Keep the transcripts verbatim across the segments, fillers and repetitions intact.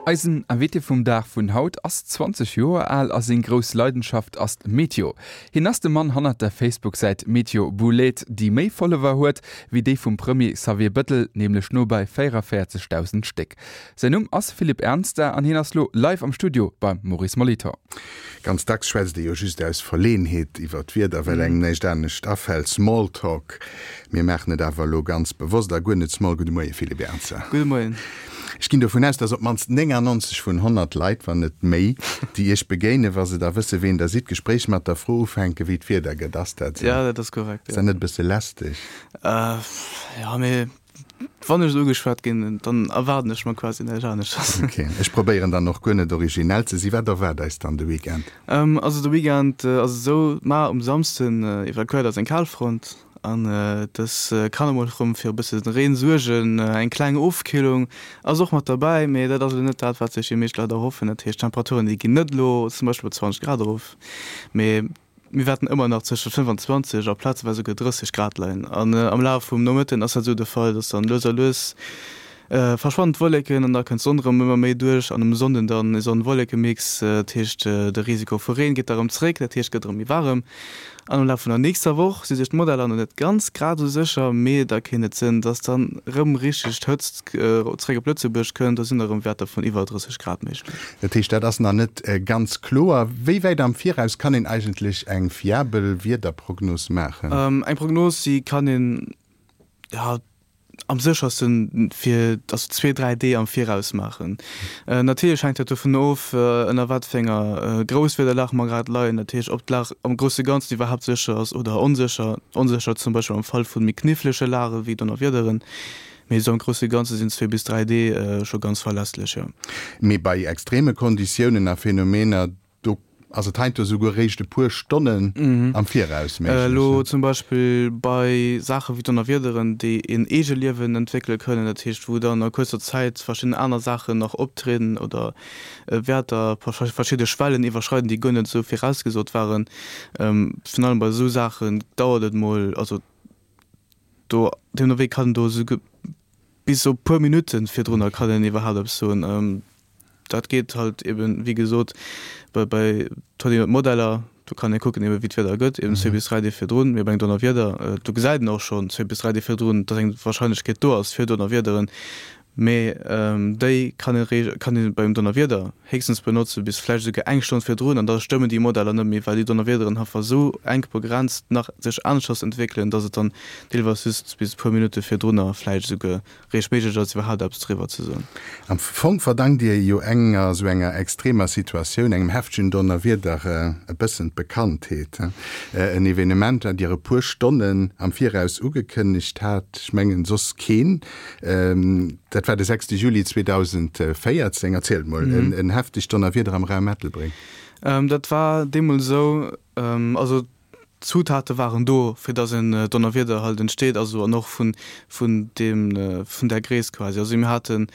Eisen Invité vum Dag vun haut ass zwanzeg Joer al a seng grouss Leidenschaft ass d'Meteo. Hien ass de Mann hannert der Facebook-Säit Meteo Boulaide, déi méi Follower huet wéi déi vum Premier Xavier Bëttel, nämlech no bei véierundavéierzegdausend Stéck. Säin Numm ass Philippe Ernster an hien ass lo live am Studio beim Maurice Molitor. Ganz dacks schwätzt ee jo just aus Verleeënheet iwwer d'Wieder, well engem näischt anescht afält, Smalltalk. Mir maachen et awer elo ganz bewosst a guer net small. Gudde Moie Philippe Ernzer. Gudde Moien. Ech ginn dovun aus, dass op d'mannst néngannonzeg vun honnert Leit, wann net méi, déi Iech begéinen, wa se da wësse ween Der sidd, d'Gespréich mat der Fro ufänken, wéi d'Wieder gëtt. Ass dat esou? Ja, dat ass korrekt, jo. Ass dat net e bësse lästeg? Jo, mee wann ech ugeschwat ginn, dann erwaarden ech mer quasi näischt aneschters. Ok, ech probéieren dann och guer net originell ze sinn. Wat erwaart eis dann de Weekend? Also de Weekend ass et esou, mar um Samsden evakuéiert eis eng Kalfront. An dës kann emol erëm fir e bësse Reen suergen. Eng kleng Ofkillung ass och mat derbäi, mee dat ass elo net dat, wat sech déi meescht Leit erhoffen. Dat heescht, d'Temperaturen, déi ginn net elo zum Beispill op zwanzeg Grad erof, mee mir wäerten ëmmer nach zwësche fënnefanzwanzeg a plazeweis esouguer drësseg Grad leien. An am Laf vum Nomëtten ass dat esou de Fall, dass dann lues a lues verschwannen d'Wolleken an da kënnt d'Sonn erëm ëmmer méi duerch an um Sonnden dann e Sonn-Wolleke-Mix, dat heescht de Risiko vu Reen geet da erëm zréck, dat heescht et gëtt erëm méi waarem. An am Laf vun der nächster Woch si sech d'Modeller nach net ganz grad esou sécher, mee da kéint et sinn, dass dann erëm richteg d'Hëtzt zréck op Lëtzebuerg kënnt, do sinn da erëm Wäerter vun iwwer drësseg Grad méiglech. Dat heescht, dat ass nach net ganz kloer. Wéi wäit am Viraus kann een eigentlech eng fiabel Wiederprognos maachen? Eng Prognos, déi kann een, jo, am séchersten fir also zwee, dräi Dee am Viraus maachen. Natierlech hänkt dat dovun of, ënner wat fir enger Grousswiederlag mer grad leien, dat heescht ob d'Lag am grousse Ganzen iwwerhaapt sécher ass oder onsécher. Onsécher zum Beispill am Fall vu méi knifflege Lage wéi Donnerwiederen, mee esou am grousse Ganze sinn zwee bis dräi Dee scho ganz verlässlech, jo. Mee bei extreme Konditiounen a Phänomener, do ass et heiansdo souguer réischt e puer Stonnen am Viraus méiglech. Elo zum Beispill bei Saache wéi Donnerwiederen, déi een Eegeliewen entwéckele kënnen, dat heescht wou dann a kuerzer Zäit verschidden aner Saachen nach optrieden oder Wäerter, verschidde Schwellen iwwerschreiden, déi guer net esou virausgesot waren. Virun allem bei esou Saachen dauert et mol, also do deemno wéi kann do esouguer bis op puer Minutte virdrunner kann een iwwerhaapt eppes soen. Dat geet halt eben, wéi gesot, bei, bei et huet een jo d'Modeller, do kann ee kucken eben, wéi d'Wieder gëtt, eben zwee bis dräi Deeg virdrun. Mee bei engem Donnerwieder, do gesäit een och schonn zwee bis dräi Deeg virdrun, datt eng Warscheinlechkeet do ass fir Donnerwiederen. Mee déi kann ee, kann ee bei engem Donnerwieder héchstens benotze bis vläicht esouguer eng Stonn virdrun, an da stëmmen déi Modeller net méi, well déi Donnerwiederen einfach esou enk begrenzt nach sech aneschters entwéckelen, datt et dann deelweis just bis e puer Minutte virdrunner vläicht esouguer réischt méiglech ass, iwwerhaapt eppes driwwer ze soen. Am Fong verdankt Dir jo enger esou enger extremer Situatioun, engem heftegen Donnerwieder, e bëssen d'Bekanntheet. En Evenement, dat Dir e puer Stonnen am Viraus ugekënnegt hat, ech mengen soss keen. Dat war de sechste Juli zweedausendvéierzéng. Erzielt mol, en heftegt Donnerwieder am Raum Ettelbréck. Dat war deemools esou, also d'Zutate waren do, fir dass en Donnerwieder halt entsteet, also an och vun, vun deem, vun där Gréisst quasi. Also mir haten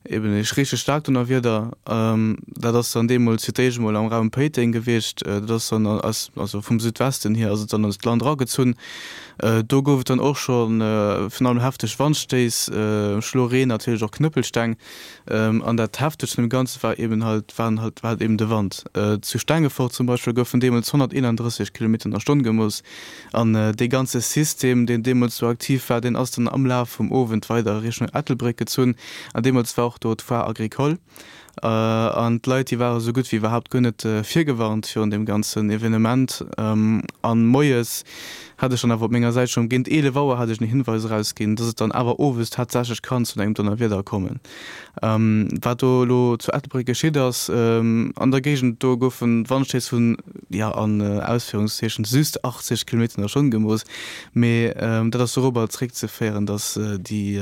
eben e richteg staarkt Donnerwieder, dat ass dann deemools fir d'éischt emol am Raum Péiteng gewiescht, dat ass dann aus, also vum Südwesten hier ass et dann an d'Land eragezunn. Do gouf et dann och scho virun allem hefteg Wandstéiss, Schloreen, natierlech och Knëppelsteng. An dat Heftegst vun dem Ganze war eben halt, waren halt, war halt eben de Wand. Zu Stengefort zum Beispill goufen deemools honnerteenanddrësseg Kilometer an der Stonn gemooss. An dee ganze System, deen deemools do aktiv war, deen ass dann am Laf vum Owend weider a Richtung Ettelbréck gezunn. An deemools war och do d'Foire agricole. An d'Leit, déi ware sou gutt wéi iwwerhaapt guer net virgewarnt virun deem ganzen Evenement. An moies hat ech dann awer op menger Säit schonn géint eelef Auer hat ech en Hinweis erausginn, dass et dann awer owes tatsächlech kann zu engem Donnerwieder kommen. Wat do elo zu Ettelbréck geschitt ass, an der Géigend do goufen Wandstéiss vun, jo an Ausféierungszeechen, just achtzeg Kilometer an der Stonn gemooss. Mee dat ass dorobber zréckzeféieren, dass déi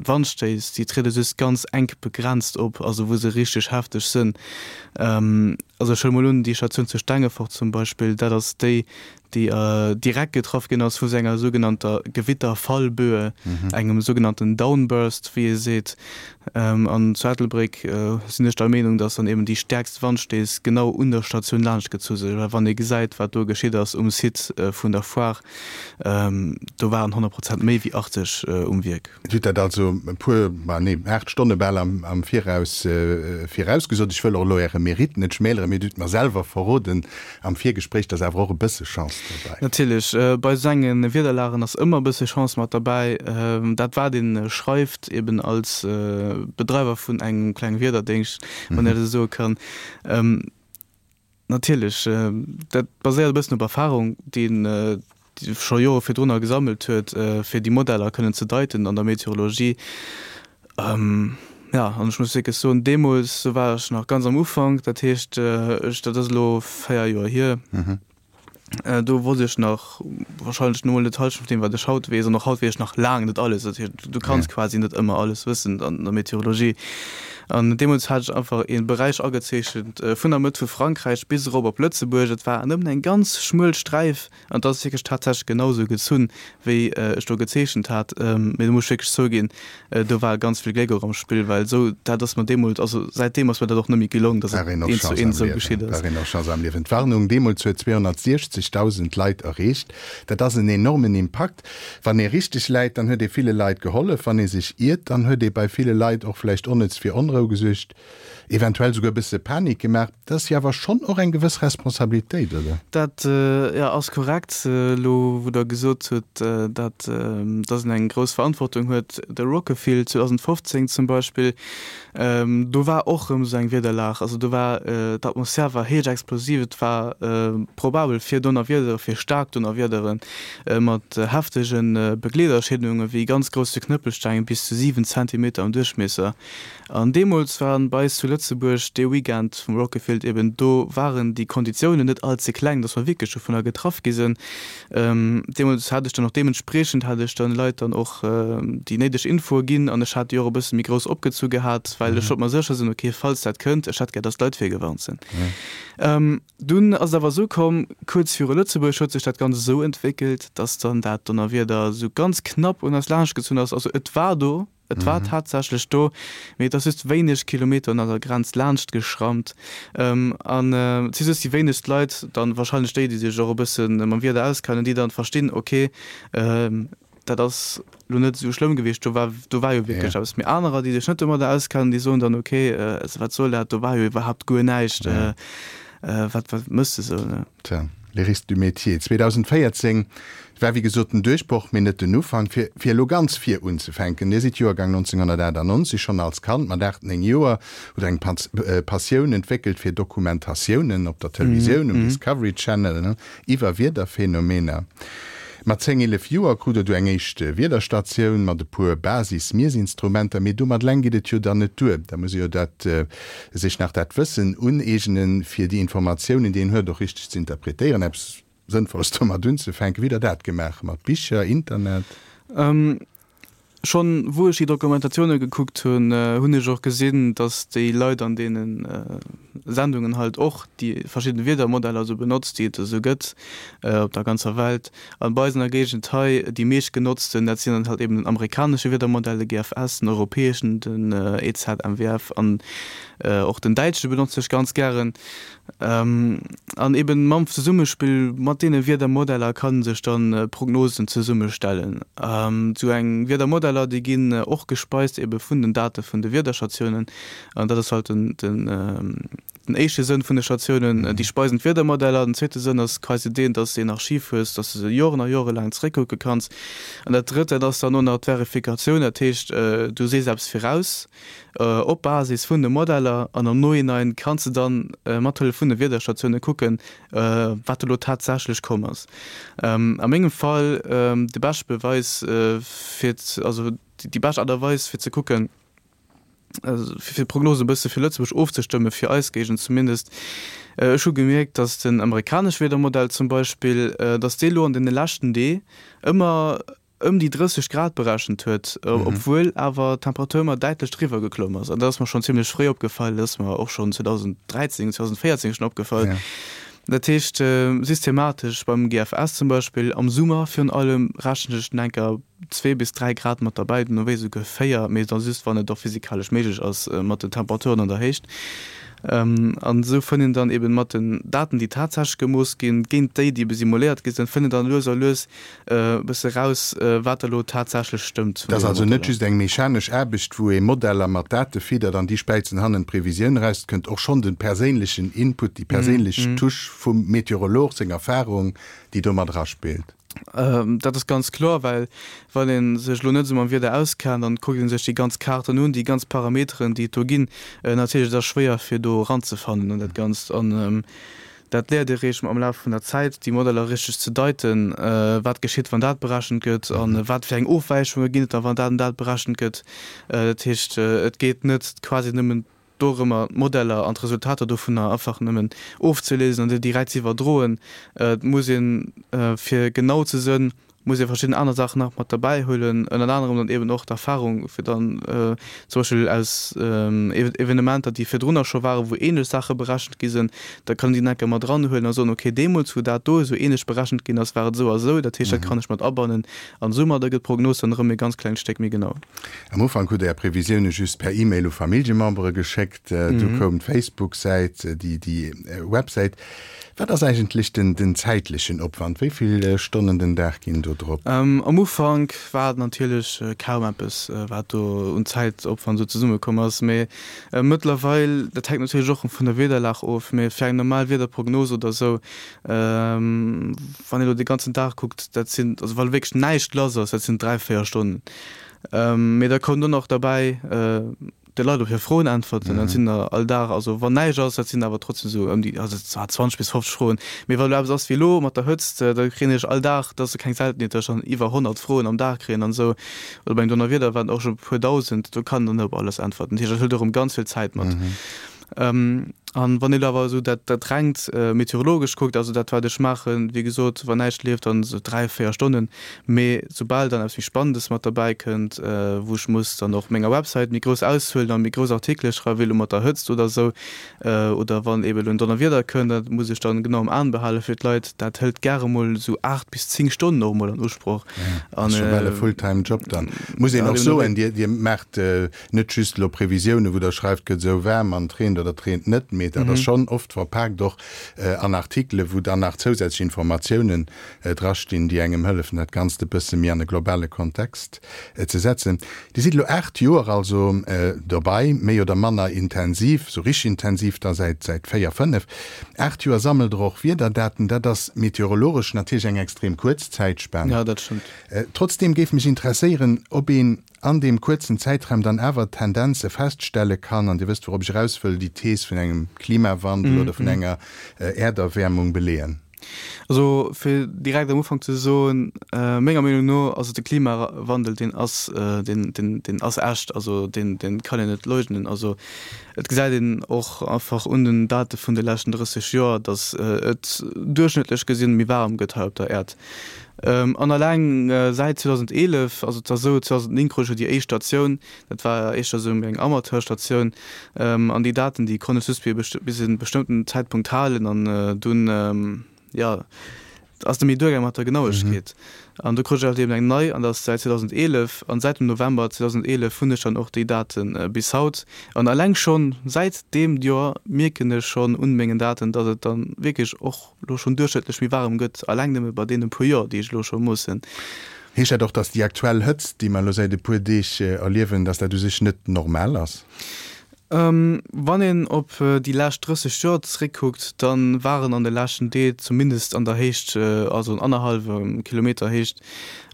Wandstéiss, déi triede just ganz enk begrenzt op, also wou se richteg hefteg sënn. Also ech huele mol un, déi Statioun zu Stengefort zum Beispill, dat ass déi, déi direkt getraff ginn ass vu senger sougenannter Gewitterfallböe, engem sougenannten Downburst, wéi ee seet. An zu Ettelbréck sinn ech der Meenung, dass dann eben déi stäerkst Wandstéiss genau un der Statioun laanschtgezu sinn, well wann ee gesäit, wat do geschitt ass um Site vun der Foire, do waren honnert Prozent méi wéi achtzeg um Wierk. Dir hutt dat also e puer, ma nee, aacht Stonne bal am Viraus virausgesot. Ech wëll och elo Äre Mérite net schmäleren, mee Dir hutt mer selwer verroden am Virgespréich, dass awer och e bësse Chance dobäi war. Natierlech, bei esou enge Wiederlagen ass ëmmer e bësse Chance mat derbäi. Dat wat ee schreift, eben als Bedreiwer vun engem klenge Wiederdéngscht, wann een dat esou soe kann, natierlech, dat baséiert e bëssen op Erfarung, déi een scho Jore virdrunner gesammelt huet, fir déi Modeller kënnen ze deiten an der Meteorologie. Jo, an ech muss wierklech soen, deemools, do war ech nach ganz am Ufank, dat heescht, ech, dat ass elo véier Joer hier, do wosst ech nach wahrscheinlech net mol d'Hallschent vun deem, wat ech haut weess. An och haut weess ech nach laang net alles. Dat heescht, du kanns quasi net ëmmer alles wëssen an der Meteorologie. An deemools hat ech einfach ee Beräich agezeechent vun der Mëtt vu Frankräich bis erop op Lëtzebuerg. Et war nëmmen eng ganz schmuel Sträif an et ass wierklech tatsächlech genau esou gezunn, wéi ech do gezeechent hat. Mee do muss ech wierklech zouginn, do war ganz vill Gléck och am Spill, well esou, dat ass mer deemools, also säitdeem ass mer dat och net méi gelong, datt et eent zu eent esou geschitt ass. War een och Chance am Liewen. D'Warnung deemools huet zweehonnertsechzegdausend Leit erreecht. Dat ass en enormen Impakt. Wann ee richteg läit, dann huet ee ville Leit gehollef. Wann ee sech iert, dann huet ee bei ville Leit och vläicht onnëtz fir Onrou gesuergt, eventuell souguer e bësse Panik gemaach. Dat ass jo awer schonn och eng gewëss Responsabilitéit, oder? Dat, jo, ass korrekt. Elo wou Der gesot hutt, datt dass een eng grouss Verantwortung huet, de Rockefil zweedausendfofzéng zum Beispill, do war och erëm esou eng Wiederlag. Also do war, d'Atmosphär war héich explosiv, et war probabel fir Donnerwiedere, fir staark Donnerwiedere mat heftege Begleederschédunge wéi ganz grousse Knëppelsteng bis zu siwen Zentimeter am Duerchmiesser. An deemools waren bei eis zu Lëtzebuerg dee Weekend vum Rockefiled eben, do waren déi Konditiounen net all ze kleng, dass mer wierklech dovunner getraff gi sinn. Deemools hat ech dann och deementspriechend hat ech dann de Leit dann och déi néideg Infoe ginn an ech hat déi och e bësse méi grouss opgezu gehat, well ech wollt mer sécher sinn, okay, falls dat kënnt, ech hätt gär, dass d'Leit virgewarnt sinn. Dunn ass et awer esou komm, kuerz viru Lëtzebuerg huet sech dat Ganzt esou entwéckelt, dass dann dat Donnerwieder esou ganz knapp un eis laanschtgezunn ass. Also et war do, et war tatsächlech do, mee et ass just wéineg Kilometer un eiser Grenz laanscht geschrammt. An et si just déi wéinegst Leit dann, wahrscheinlech déi, déi sech och e bësse mam Wieder auskennen, déi dann verstinn, okay, dat ass elo net esou schlëmm gewiescht, do war, do war jo wierklech eppes. Mee anerer, déi sech net domadder auskennen, déi soen dann, okay, also wat soll dat, do war jo iwwerhaapt guer näischt, wat, wat méchs de sou, ne? Tja, les risques du métier. zweedausendvéierzéng war wéi gesot den Duerchbroch, mee net den Ufank. Fir, fir elo ganz vir unzefänken, Dir sidd Joergang nonzénghonnertaachtanonzeg, schonn als Kand mat aacht, néng Joer hutt Der eng Passioun entwéckelt fir Dokumentatiounen op der Televisioun, um Discovery Channel, iwwer Wiederphänomener. Mat zéng, eelef Joer krut Der du eng éischt Wiederstatioun mat e puer Basis-Miessinstrumenter. Mee domat eleng geet et jo dann net duer. Da muss ee jo dat sech nach dat Wëssen uneegnen, fir déi Informatiounen, déi een huet, och richteg ze interpretéieren, eppes Sënnvolles domat unzefänken. Wéi hutt Der dat gemaach? Mat Bicher, Internet? Schonn wou ech déi Dokumentatioune gekuckt hunn, hunn ech och gesinn, datt déi Leit an deene Sendungen halt och déi verschidden Wiedermodeller esou benotzt, déi et esou gëtt op der ganzer Welt. An bei eis an der Géigend hei, déi meescht genotzten, dat sinn dann halt eben den amerikanesche Wiedermodell, de G F S, den europäeschen, den E Z M W F an och den däitsche benotze ech ganz gären. An eben mam Zesummespill mat deene Wiedermodeller kann sech dann Prognosen zesummestellen. Sou eng Wiedermodeller, déi ginn och gespeist ebe vun den Date vun de Wiederstatiounen. An dat ass halt den den éischte Sënn vun de Statiounen, déi speisen d'Wiedermodeller. Den zweete Sënn ass quasi deen, dass de en Archiv hues, dass de se Joren a Jore laang zeréckkucke kanns. An dat drëtt, dat ass dann och nach d'Verifikatioun, dat heescht, du sees eppes viraus, Op Basis vun de Modeller an am Nohinein kanns de dann mat Hëllef vun de Wiederstatioune kucken, wat elo tatsächlech komm ass. A mengem Fall de beschte Beweis fir, also déi bescht Aart a Weis fir ze kucken, fir d'Prognosen e bësse fir Lëtzebuerg ofzestëmmen, fir eis Géigend zumindest, ech hu gemierkt, datt den amerikanesche Wiedermodell zum Beispill, datt dee lo an deene leschten Dee ëmmer ëm déi drësseg Grad berechent huet, obwuel awer d'Temperatur ëmmer däitlech driwwer geklomm ass. An dat ass mer schonn zimmlech fréi opgefall, dat ass mer och schonn zweedausendräizéng, zweedausendvéierzéng schonn opgefall. Dat heescht, systematesch beim G F S zum Beispill am Summer virun allem rechnen ech dann enker zwee bis dräi Grad mat derbäi, duerno wéi esouguer véier, mee da just wann et och physikalesch méiglech ass mat den Temperaturen an der Héicht. An esou fënnt een dann eben mat den Daten, déi tatsächlech gemooss ginn, géint déi, déi ebe simuléiert gi sinn, fënnt een dann lues a lues e bësse raus, wat da elo tatsächlech stëmmt Dat vun ass deene also net Modeller. just eng mechanesch Aarbecht, wou ee Modeller mat Date fiddert an déi späizen hannen d'Previsioun eraus. Et kënnt och schonn de perséinlechen Input, déi perséinlech Touche vum Meteorolog, seng Erfarung, déi do mat eraspillt. Dat ass ganz kloer, well wann ee sech elo net esou mam Wieder auskennt an et kuckt ee sech déi ganz Kaarten un, déi ganz Parameteren, déi et do ginn, natierlech et ass schwéier fir do eranzefannen an dat Ganzt. An dat léiert ee réischt am Laf vun der Zäit, déi Modeller richteg ze deiten, wat geschitt, wann dat berechent gëtt an wat fir eng Ofwäichunge ginn et da, wann dat an dat berechent gëtt. Dat heescht, et geet net quasi nëmmen dorëmmer, d'Modeller an d'Resultater dovunner einfach nëmmen ofzelesen an déi direkt ze iwwerdroen. Et muss een, fir genau ze sënn, muss ee verschidden aner Saachen nach mat derbäi huelen, ënnert anerem dann eben och d'Erfahrung, fir dann zum Beispill aus Evenementer, déi virdrunner scho waren, wou ähnlech Saache berechent gi sinn, da kann een déi nach eng Kéier mat eranhuelen a soen, okay, deemools, wou dat do esou ähnlech berechent ginn ass, war et esou a esou, dat heescht, dat kann ech mat abannen an soumadder gëtt d'Prognos dann erëm e ganz klengt Stéck méi genau. Am Ufank hutt Der Är Previsioune just per E-Mail u Familljemembere geschéckt, du koum d'Facebook-Säit, déi Websäit. Wat ass eigentlech den zäitlechen Opwand? Wéi vill Stonnen den Dag ginn do drop? Am Ufank war et natierlech kaum eppes, wat do un Zäitopwand esou zesummekomm ass. Mee mëttlerweil, dat hänkt natierlech och vun der Wiederlag of, mee fir eng normal Wiederprognos oder esou, wann een elo de ganzen Dag kuckt, dat sinn, also wa wierklech näischt lass ass, dat sinn dräi, véier Stonnen. Mee da koum dunn och derbäi, de Leit op hir Froen äntwerten. Dat sinn der all Dag, also wann näischt ass, dat sinn awer trotzdem esou ëm déi, also zwar zwanzeg bis fofzeg Froen, mee wa lo eppes ass wéi elo mat der Hëtzt, da kréien ech all Dag, dat ass keng Seltenheet, datt ech dann iwwer honnert Froen am Dag kréien an esou. Oder beim Donnerwieder waren et och scho e puer Dausend, do kann een dann net op alles äntwerten. Dat heescht, dat hëlt och erëm ganz vill Zäit mat. An wann een awer esou dat, dat rengt meteorologesch kuckt, also dat wat ech maachen, wéi gesot, wann näischt leeft, dann esou dräi, véier Stonnen. Mee soubal dann eppes méi Spannendes mat derbäi kënnt, wou ech muss dann och menger Websäit méi grouss Auszuelen a méi grouss Artikele schreiwen, wéi elo mat der Hëtzt oder esou, oder wann eeben elo en Donnerwieder kënnt, dat muss ech dann genau am Aen behale fir d'Leit, dat hëlt gäre mol esou aacht bis zéng Stonnen och emol an Usproch. Dat ass scho bal e Fulltime-Job dann. Muss een och soen, Dir, Dir maacht net just elo Previsiounen, wou Der schreift, gëtt esou waarm an et reent oder et reent net, mee dat ass schonn oft verpaakt och an Artikelen, wou dann nach zousätzlech Informatiounen drastinn, déi engem hëllefen, dat Ganzt e bësse méi an e globale Kontext ze setzen. Dir sidd elo aacht Joer also dobei, méi oder manner intensiv, sou richteg intensiv da säit säit véier, fënnef. Aacht Joer sammelt Der och Wiederdaten. Dat ass meteorologesch natierlech eng extrem kuerz Zäitspan. Ja, dat stëmmt. Trotzdeem géif mech interesséieren, ob een an deem kuerzen Zäitraum dann awer Tendenze feststelle kann, an Dir wësst, wourop ech eraus wëll, déi Thees vun engem Klimawandel oder vun enger Äerderwäermung beleeën. Also fir direkt am Ufank ze soen, menger Meenung no ass et de Klimawandel, deen ass, deen, deen, deen ass echt, also deen, deen kann een net leugnen. Also et gesäit een och einfach un den Date vun de leschten drësseg Joer, datt et duerchschnëttlech gesinn méi waarem gëtt hei op der Äerd. An alleng säit zweedausendeelef, also et ass esou, zweedausendnéng krut ech jo déi éischt Statioun, dat war éischter esou eng Amateurstatioun, an déi Daten, déi konnt ech just bis e bestëmmten Zäitpunkt halen an dunn, jo, ass net méi duergaang mat der Genauegkeet. An du krut ech halt eben eng nei, an dat ass säit zweedausendeelef, an säit dem November zweedausendeelef hunn ech dann och déi Date bis haut. An alleng schonn säit deem Joer mierken ech schonn un mengen Daten, datt et dann wierklech och elo schonn duerchschnëttlech méi waarem gëtt, alleng nëmme bei deene puer Joer, déi ech elo scho moossen. Heescht dat och, datt déi aktuell Hëtzt, déi mer elo säit e puer Deeg erliewen, datt dat u sech net normal ass? Wann een op déi lescht drësseg Joer zeréckkuckt, da waren an de leschten Deeg, zumindest an der Héicht, also an annerhallwem Kilometer Héicht,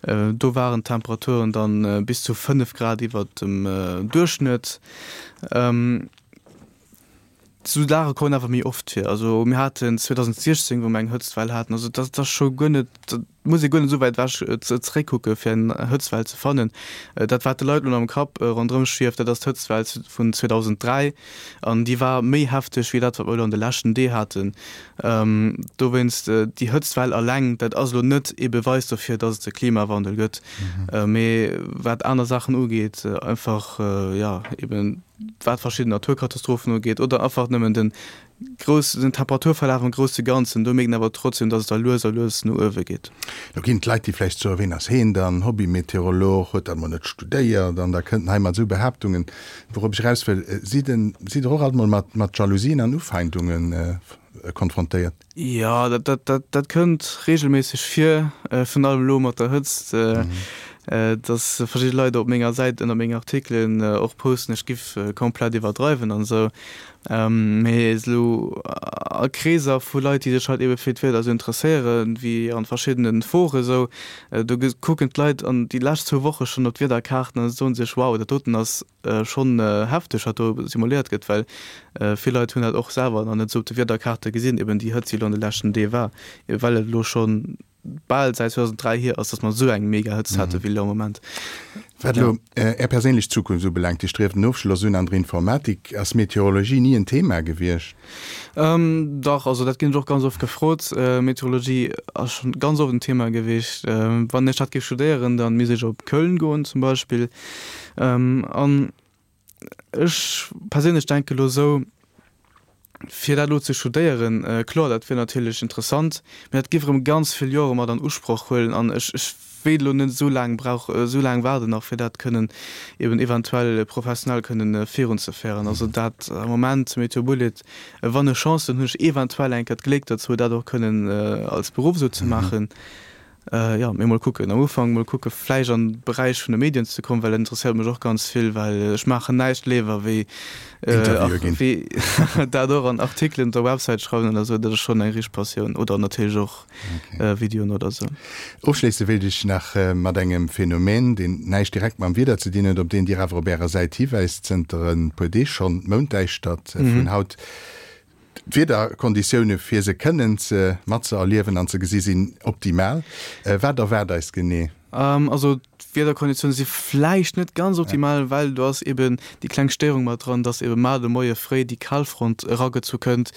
do waren d'Temperaturen dann bis zu fënnef Grad iwwert dem Duerchschnëtt. Esou Saache kommen awer méi oft vir. Also mir haten zweedausendsechzéng, wou mir eng Hëtztwell haten, also dat ass scho guer net, dat muss ee guer net esou wäit ewech zeréckkucke fir eng Hëtztwell ze fannen. Dat wat de Leit elo am Kapp ronderëm schwieft, dat ass d'Hëtztwell vun zweedausenddräi an déi war méi hefteg wéi dat wat mer elo an de leschten Dee haten. Dowéinst, déi Hëtztwell alleng, dat ass elo net ee Beweis dofir, datt et e Klimawandel gëtt. Mee wat aner Saachen ugeet, einfach jo eben wat verschidden Naturkatastrophen ugeet oder einfach nëmmen den grouss, den Temperaturverlaf am grousse Ganzen, do mierkt een awer trotzdem, dass et da lues a lues no uewe geet. Lo ginn et Leit, déi vläicht soen, Ween ass heen dann, Hobbymeteorolog, huet dat mol net studéiert an da kënnt en hei mat esou Behaaptungen. Wourop ech eraus wëll, Sidd sidd Der och alt mol mat mat Jalousien an Ufeindunge konfrontéiert? Jo, dat dat dat dat kënnt reegelméisseg vir, virun allem elo mat der Hëtzt, dass verschidde Leit op menger Säit ënner mengen Artikelen och posten, ech giff komplett iwwerdreiwen an esou. Mee esou a Kreeser vu Leit, déi sech halt ebe fir d'Wieder esou interesséieren, wéi an verschiddenen Foren esou, do kucken d'Leit an déi lescht zwou Woche schonn op d'Wiederkaarten an soen sech, wow, dat doten ass schonn hefteg, wat do simuléiert gëtt, well vill Leit hunn dat och selwer nach net esou op de Wiederkaarte gesinn, eben déi Hëtzt, déi elo an de leschten Deeg war, well et elo schonn bal säit zweedausenddräi hier ass, datt mer esou eng mega Hëtzt hate wéi elo am Moment. Wat elo Är perséinlech Zukunft ubelaangt, Dir strieft en Ofschloss un an der Informatik. Ass Meteorologie ni en Thema gewiescht? Dach, also dat ginn ech och ganz oft gefrot. Meteorologie ass schonn ganz oft en Thema gewiescht. Wann ech dat géif studéieren, da misst ech op Köln goen zum Beispill. An ech perséinlech denke elo esou, Fir dat elo ze studéieren, kloer, dat wier natierlech interessant, mee dat géif erëm ganz vill Jore mat an Usproch huelen an ech, ech wéilt elo net esou laang brauch, esou laang waarden nach, fir dat kënnen eben eventuell professionell kënnen virunzeféieren. Also dat am Moment, Météo Bullet, wann ech Chance hunn, hunn ech eventuell eng Kéier d'Gléck dozou, dat och kënnen als Beruff esou ze maachen. Jo, mee mol kucken. Am Ufank mol kucke vläicht an de Beräich vun de Medien ze kommen, well dat interesséiert mech och ganz vill, well ech maachen näischt léiwer wéi Interviewe ginn. Wéi dat och an Artikelen op der Websäit schreiwen oder esou. Dat ass schonn eng richteg Passioun. Oder natierlech och Videoen oder esou. Ofschléisse wéilt ech nach mat engem Phänomen, deen näischt direkt mam Wieder ze dinn huet, op deen Dir awer op Ärer Säit hiwäist zënter e puer Deeg schonn, d'Mounddäischtert vun haut. D'Wiederkonditioune fir se kënnen ze matzeerliewen an ze gesi sinn optimal. Wat erwaart eis genee? Also d'Wiederkonditioune si vläicht net ganz optimal, well do ass eben déi kleng Stéierung mat dran, dass ebe mar de Moie fréi déi Kalfront eragezu kënnt.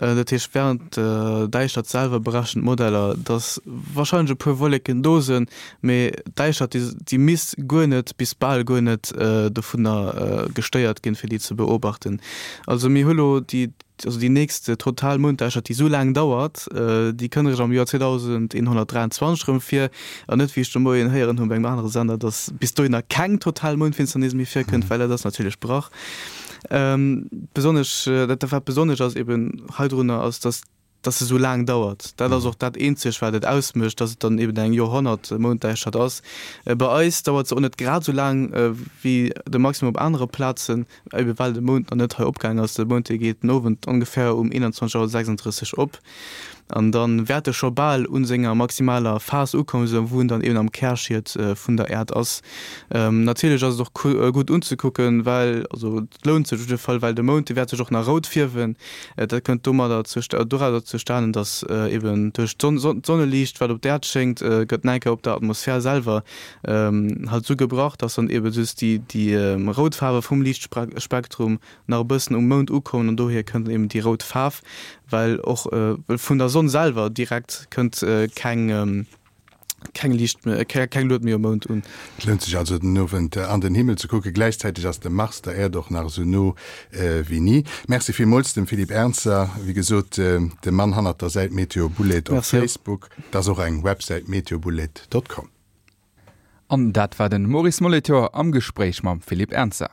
Dat heescht wärend der Däischtert selwer berechnen d'Modeller, dass warscheinlech e puer Wolleken do sinn, mee d'Däischtert déi misst guer net bis bal guer net dovunner gestéiert ginn, fir déi ze beobachten. Also mir hu lo déi Also déi nächst total Mounddäischtert, déi esou laang dauert, déi kënnt eréischt am Joer zweedausendeenhonnertdräianzwanzeg erëm vir, an net, wéi ech de Moien héieren hunn bei engem anere Sender, datt bis dohinner keng total Moundfinsternis méi virkënnt, well dat ass natierlech Brach. Besonnesch, dat wat besonnesch ass eben heidrunner, ass, datt datt se esou laang dauert. Dat ass och dat eenzegt, wat et ausmécht, datt et dann eben eng Joerhonnert-Mounddäischtert ass. Bei eis dauert se och net grad esou laang wéi de Maximum op anere Plazen, ebe well de Mound nach net hei opgaang ass. De Mound, dee geet den Owend ongeféier um eenanzwanzeg Auer sechsunddrësseg op an da wäert e scho bal u senger maximaler Phas ukommen, esou wou en dann eben am Kärschiet vun der Äerd ass. Natierlech ass et och gutt unzekucken, well, also et lount sech op jidde Fall, well de Mound, dee wäert sech och nach rout fierwen. Dat kënnt domadder dorauser zustanen, datt eben duerch d'Sonneliicht, wat op d'Äerd schéngt, gëtt nach eng Kéier op der Atmosphär selwer halt esou gebrach, datt dann eben just déi rout Faarwe vum Liichtspektrum nach e bëssen um Mound ukommen an dohier kënnt dann eben déi rout Faarf, well och vun der Sonn selwer direkt kënnt keng keng Liicht méi, keng Lued méi um Mound un. Et lount sech also den Owend an den Himmel ze kucken. Gläichzäiteg ass de Mars der Äerd och nach esou no wéi ni. Merci villmools dem Philippe Ernzer, wéi gesot de Mann hannert der Säit Meteobullet op Facebook. Et ass och eng Websäit meteobullet dot com. An dat war den Maurice Molitor am Gespréich mam Philippe Ernzer.